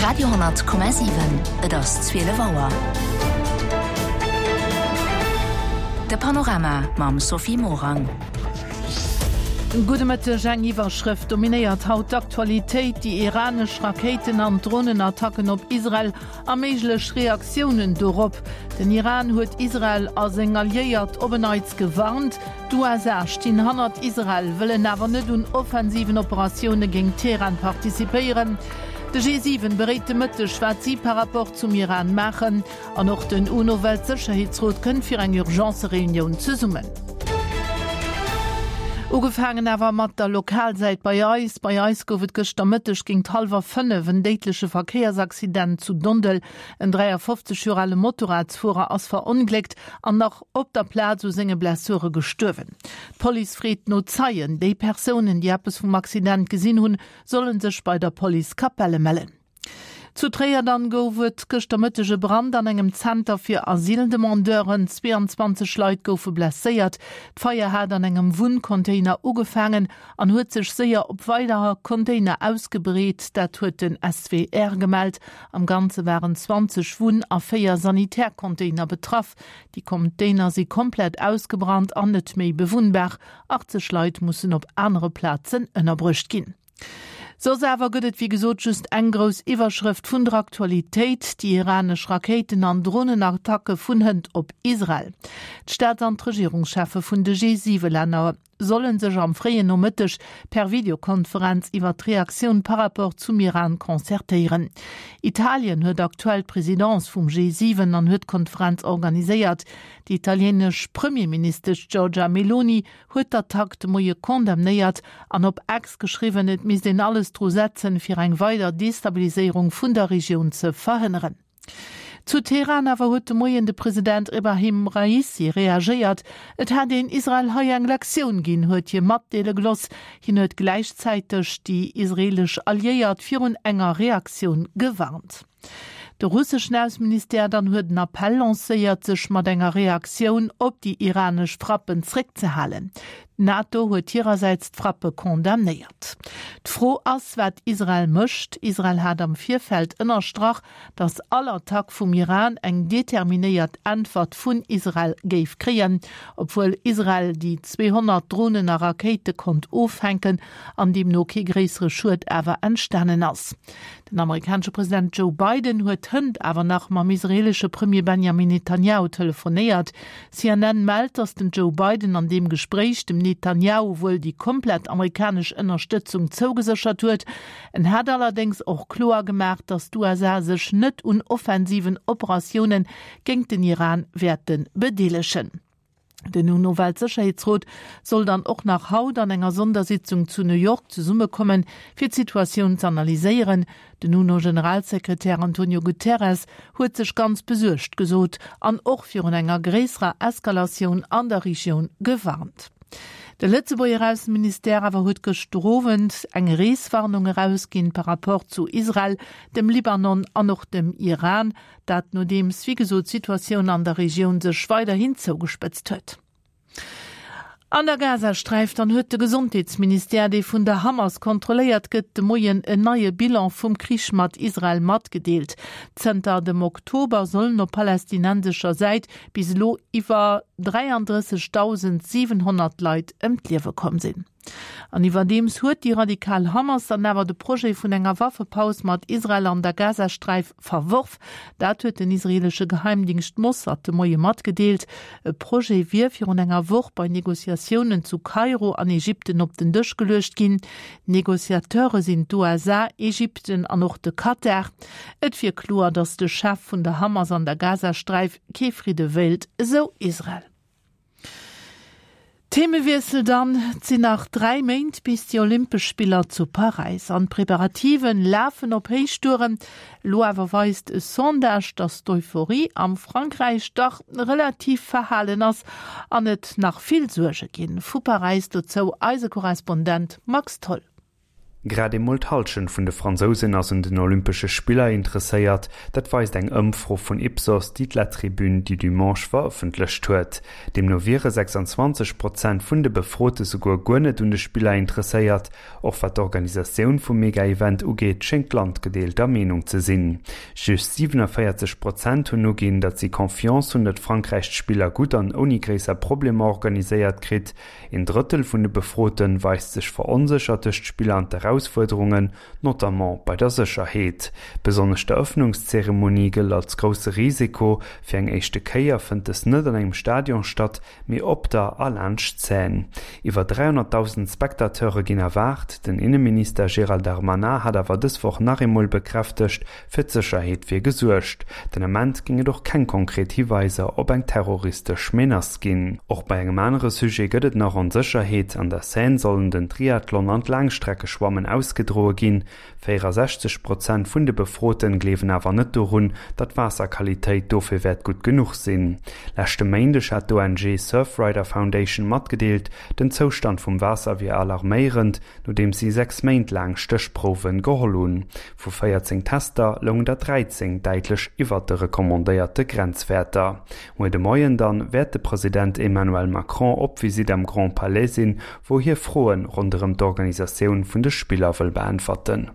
Radio,7 Et ass 12 Auer. De Panorama mam Sophie Morang. Gudde Mëtteg. Eng Iwwerschrëft dominéiert haut d'Aktualitéit, déi iranesch Rakéiten an Dronenattacken op Israel a méiglech Reaktiounen dorop. Den Iran huet Israel a seng Alliéiert op en Neits gewarnt. D'USA stinn hannert Israel, wëllen awer net un offensiven Operatioune géint Teheran participéieren. De G7 beréit de Mëtteg, wat si par rapport zum Iran maachen. An och den UNO-Weltsécherheetsrot kënnt fir eng Urgence-Reunioun zesummen. Ugefaangen awer mat der Lokalsäit bei eis. Bei eis gouf et gëschter Mëtteg géint hallwer 5 en déidleche Verkéiersaccident zu Dondel. En 53 Joer ale Motorradsfuerer ass verongléckt an nach op der Plaz u senge Blessure gestuerwen. D'Police freet no Zeien. Déi Persounen, déi eppes vum Accident gesinn hunn, solle sech bei der Police Capelle mellen. Zu Tréier dann gouf et gëschter Mëtteg e Brand an engem Zenter fir Asyldemandeuren. 22 Leit goufe blesséiert. D'Feier hat an engem Wunncontainer ugefaangen an huet sech séier op weider Container ausgebreet. Dat huet den SWR gemellt. Am Ganze waren 20 Wunn a 4 Sanitärcontainer betraff. Déi Container si komplett ausgebrannt an net méi bewunnbar. 80 Leit mussen op anere Plazen ënnerbruecht ginn. Soss awer gëtt et wéi gesot just eng grouss Iwwerschrëft vun der Aktualitéit, déi iranesch Rakéiten an Dronenattacke vun hënt op Israel. D'Staats an d'Regierungscheffe vun de G7-Länner solle sech am fréien Nomëtteg per Videokonferenz iwwer d'Reaktioun par rapport zum Iran concertéieren. Italien huet aktuell d'Presidence vum G7 an huet d'Konferenz organiséiert. Déi italienesch Premierministesch Giorgia Meloni huet d'Attack de Moie condamnéiert an op X geschriwwen, et misst een alles dru setzen, fir eng weider Destabiliséierung vun der Regioun ze verhënneren. Zu Teheran awer huet de Moien de President Ebrahim Raisi reagéiert. Et hätt een Israel hei eng Lektioun ginn, huet hie matdeele gelooss. Hien huet gläichzäiteg déi israeelesch Alliéiert virun enger Reaktioun gewarnt. De russeschen Ausseministère dann huet en Appell lancéiert, sech mat enger Reaktioun op déi iranesch Frappen zréckzehalen. D'NATO huet hirersäits d'Frappe condamnéiert. D'Fro ass, wat Israel mécht. Israel hat am Virfeld ënnerstrach, datt all Attack vum Iran eng determinéiert Äntwert vun Israel géif kréien, obwuel Israel déi 200 Dronen a Rakéite konnt offänken an deemno kee gréissere Schued awer entstanen ass. Den amerikanesche President Joe Biden huet hënt awer nach mam israeelesche Premier Benjamin Netanjahu telefonéiert. CNN mellt, datt den Joe Biden an deem Gespréich dem Netanjahu wuel déi komplett amerikanesch Ënnerstëtzung zougeséchert huet. En hätt allerdéngs och kloer gemaach, datt d'USA sech net un offensiven Operatioune géingt den Iran wäerte bedeelegen. Den UNO-Weltsécherheetsrot soll dann och nach haut an enger Sondersitzung zu New York zesummekommen, fir d'Situatioun z'analyséieren. Den UNO-Generalsekretär Antonio Guterres huet sech ganz besuergt gesot an och virun enger gréisserer Eskalatioun an der Regioun gewarnt. De Lëtzebuerger Ausseministère awer huet gëschter Owend eng Reeswarnung erausginn par rapport zu Israel, dem Libanon an och dem Iran. Dat nodeems, wéi gesot, d'Situatioun an der Regioun sech weiderhin zougespëtzt huet. An der Gazasträif dann huet de Gesondheetsministère, dee vun der Hamas kontrolléiert gëtt, de Moien en neie Bilan vum Krich mat Israel matgedeelt. Zënter dem Oktober sollen op palästinensescher Säit bis elo iwwer 33.700 Leit ëm d'Liewe komm sinn. An iwwerdeems huet déi radikal Hamas dann awer de Projet vun enger Waffepaus mat Israel an der Gazasträif verworf. Dat huet den israeelesche Geheimdingscht Mossad de Moie matgedeelt. E Projet wier virun enger Woch bei Negociatiounen zu Kairo an Ägypten op den Dësch geluecht ginn. Negociateure sinn d'USA, Ägypten an och de Katar. Et wier kloer, datt de Chef vun der Hamas an der Gazasträif kee Fridde wéilt, esou Israel. Themewiessel dann, Et sinn nach 3 Méint bis déi Olympesch Spiller zu Paräis an d'Preparativen lafen op Héichtouren. Elo awer weist e Sondage, datt d'Euphorie am Frankräich dach relativ verhalen ass an et nach vill Suerge ginn. Vu Paräis dozou eise Korrespondent Max Tholl. Grad emol d'Hallschent vun de Fransousen ass un den Olympesche Spiller interesséiert. Dat weist eng Ëmfro vun Ipsos, déi d'La Tribune du Dimanche verëffentlecht huet. Deemno wiere 26 Prozent vun de Befrote souguer guer net un de Spiller interesséiert. Och wat d'Organisatioun vum Mega-Event ugeet, schéngt d'Land gedeelter Meenung ze sinn. Just 47 Prozent hunn uginn, datt si Confiance hunn, datt Frankräich d'Spiller gutt an ouni gréisser Problemer organiséiert kritt. Een Drëttel vun de Befrote weist sech veronséchert duerch d'Spiller an d'Erausfuerderungen, notamment bei der Sécherheet. Besonnesch d'Erëffnungszeremonie gëllt als grousse Risiko. Fir eng éischte Kéier fënnt dës net an engem Stadion statt, mee op der a laanscht d'Seine. Iwwer 300.000 Spectateure ginn erwaart. Den Inneminister Gérald Darmanin hat awer dës Woch nach eemol bekräftegt, Fir d'Sécherheet wier gesuergt. Den Ament géing et och keng konkret Hiweiser op eng terroristesch Menace ginn. Och bei engem anere Sujet gëtt et nach Onsécherheet. An der Seine sollen den Triathlon an d'Laangstreckeschwammen ausgedroe ginn. 64 Prozent vun de Befroten gleewen awer net dorun, datt d'Waasserqualitéit dofir wäert gutt genuch sinn. Leschte Méindeg hat d'ONG Surfrider Foundation matgedeelt, den Zoustand vum Waasser wier alarméierend. Nodeems si 6 Méint laang Stéchprouwe geholl hunn. Vu 14 Tester loungen der 13 däitlech iwwert de recommandéierte Grenzwäerter. Muer de Moien dann wäert de President Emmanuel Macron op Visitt am Grand Palais sinn, wou hie Froe ronderëm d'Organisatioun vun de Spiller wëll beäntwerten.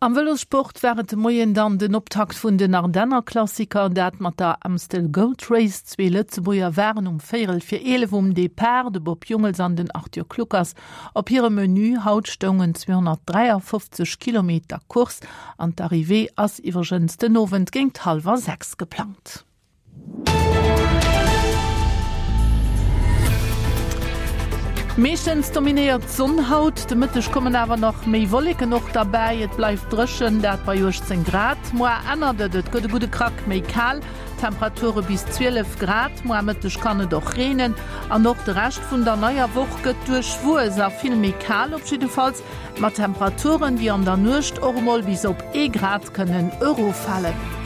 Am Vëlossport war et de Moien dann den Optakt vun den Ardennerklassiker, dat mat der Amstel Gold Race. Zwee Lëtzebuerger waren um véierel fir 11 um Depart, de Bob Jungels an den Arthur Kluckers. Op hirem Menü haut stoungen 253 Kilometer Course an d'Arrivée ass iwwregens den Owend géint hallwer 6 geplangt. Meeschtens dominéiert d'Sonn haut, de Mëtteg kommen awer nach méi Wolleken och derbäi. Et bleift dréchen, dat bei 18 Grad. Moar ännert et, et gëtt e gudde Krack méi kal, Temperature bis 12 Grad. Moar Mëtteg kann et och reenen an och de Rescht vun der neier Woch gëtt duerchwuess a vill méi kal, op jiddefalls mat Temperaturen, déi an der Nuecht och emol bis op ee Grad kënnen eroffalen.